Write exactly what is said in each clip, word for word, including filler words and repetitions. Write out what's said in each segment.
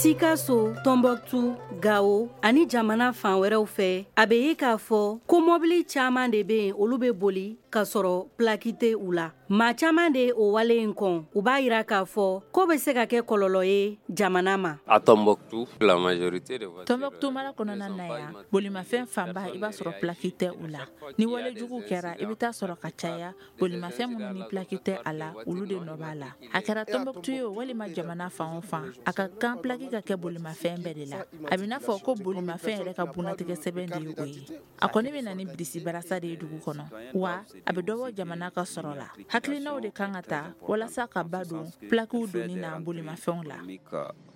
Sikaso, Tɔnbɔkutu, Gawo ani jamana fan wɛrɛw fɛ, a bɛ ye k'a fɔ ko mɔbili caman de bɛ yen, olu bɛ boli ka sɔrɔ plaque tɛ u la. Maa caman de o wale in kɔn. U b'a jira k'a fɔ ko bɛ se ka kɛ kɔlɔlɔ ye jamana ma. À Tombouctou, la majorité des voitures Tɔnbɔkutu mara kɔnɔna na yan, bolimafɛn fanba, i b'a sɔrɔ plaque tɛ u la. Ni walejugu kɛra, i bɛ taa sɔrɔ ka caya, bolimafɛn minnu ni plaque tɛ a la, olu de nɔ b'a la. A kɛra Tɔnbɔkutu ye o, walima jamana fan o fan, a ka kan plaque ka kɛ bolimafɛn bɛɛ de la. A bɛ n'a fɔ ko bolimafɛn yɛrɛ ka bunatigɛ sɛbɛn de ye o ye. A kɔni bɛ na ni birisi barasa de ye dugu kɔnɔ, wa a bɛ dɔbɔ jamana ka sɔrɔ la. Hakilinaw de kan ka ta walasa ka ba don plaquew donni na bolimafɛnw la.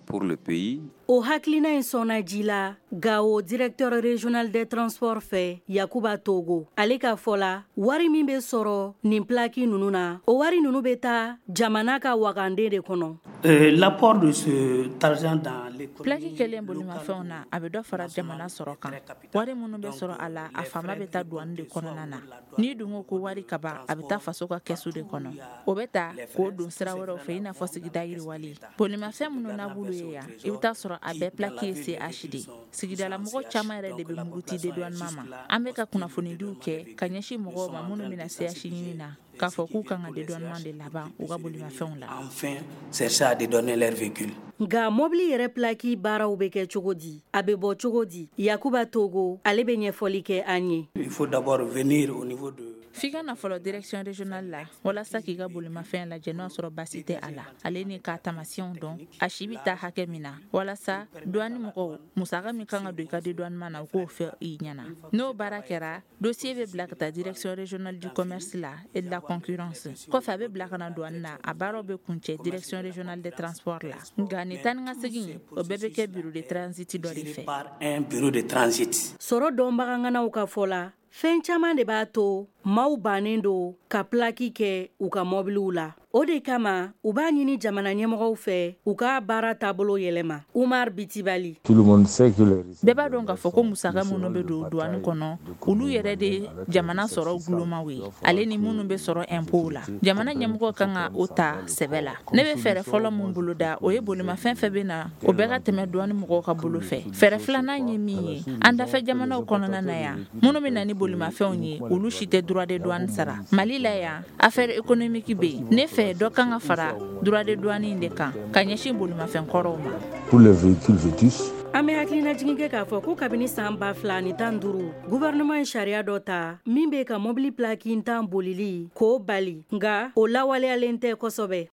Pour le pays. O hakilina in sɔnna ji la Gawo directeur régional des transports fɛ, Yakuba Togo. Ale ka fɔ la, wari min bɛ sɔrɔ nin plaque ninnu na, o wari ninnu bɛ taa jamana ka wagande de kɔnɔ. Euh, l'apport de cet argent dans l'économie Plaque kɛlen bolimafɛnw na, a bɛ dɔ fara jamana sɔrɔ kan. Wari minnu bɛ sɔrɔ a la, a fanba bɛ taa douane de kɔnɔna na. N'i dun ko ko wari ka ban, a bɛ taa faso ka kɛsu de kɔnɔ. O bɛ ta k'o don sira wɛrɛw fɛ, i n'a fɔ sigida yiriwali. Bolimafɛn minnu n'a b'olu ye yan, i bɛ taa sɔrɔ a bɛɛ plaque ye C H de. Sigidala mɔgɔ caman yɛrɛ de bɛ muruti dédouanement ma. An bɛ ka kunnafonidiw kɛ ka ɲɛsin mɔgɔw ma minnu bɛna C H ɲini na, k'a fɔ k'u kan ka dédouanement de laban u ka bolimafɛnw la. Enfin chercher à dédouaner leur véhicule. Nka mobili yɛrɛ plaque baaraw bɛ kɛ cogo di? A bɛ bɔ cogo di? Yakuba Togo, ale bɛ ɲɛfɔli kɛ an ye. Il faut d'abord venir au niveau de F'i ka na fɔlɔ direction régionale la walasa k'i ka bolimafɛn lajɛ n'o y'a sɔrɔ basi tɛ a la, ale ni k'a taamasiyɛnw dɔn, a si bɛ taa hakɛ min na, walasa douane mɔgɔw, musaka min kan ka don i ka dédouanement na, u k'o fɔ i ɲɛna. N'o baara kɛra, dossier bɛ bila ka taa Direction régionale du commerce la et de la concurrence. Kɔfɛ, a bɛ bila ka na douane na. A baaraw bɛ kuncɛ Direction régionale des transports la. Nka nin taa ni ka segin, o bɛɛ bɛ kɛ bureau de transit dɔ de fɛ. Par un bureau de transit. Sɔrɔ dɔnbaganganaw ka fɔ la, fɛn caman de b'a to maaw bannen don ka plaque kɛ u ka mɔbiliw la. O de kama u b'a ɲini jamana ɲɛmɔgɔw fɛ, u ka baara taabolo yɛlɛma. Umar Bitibali. Bɛɛ b'a dɔn k'a fɔ ko musaka minnu bɛ don douane kɔnɔ, olu yɛrɛ de jamana sɔrɔ gulomaw ye, ale ni minnu bɛ sɔrɔ impôt la. Jamana ɲɛmɔgɔ kan ka o ta sɛbɛ la. Ne bɛ fɛɛrɛ fɔlɔ min boloda, o ye bolimafɛn fɛn bɛ na, o bɛɛ ka tɛmɛ douane mɔgɔw ka bolo fɛ. Fɛɛrɛ filanan ye min ye, an dafɛ jamanaw kɔnɔna na yan, minnu bɛ na ni bolimafɛnw ye, olu si tɛ droit de douane sara. Mali la yan, affaire économique bɛ yen. Ne fɛ, dɔ kan ka fara droit de douane in de kan ka ɲɛsin bolimafɛn kɔrɔw ma. Pour les véhicules vétustes. An bɛ hakilinajigin kɛ k'a fɔ ko kabini san ba fila ni tan duuru, gouvernement ye sariya dɔ ta min bɛ ka mobili plaque tan bolili k'o bali, nka o lawaleyalen tɛ kosɛbɛ.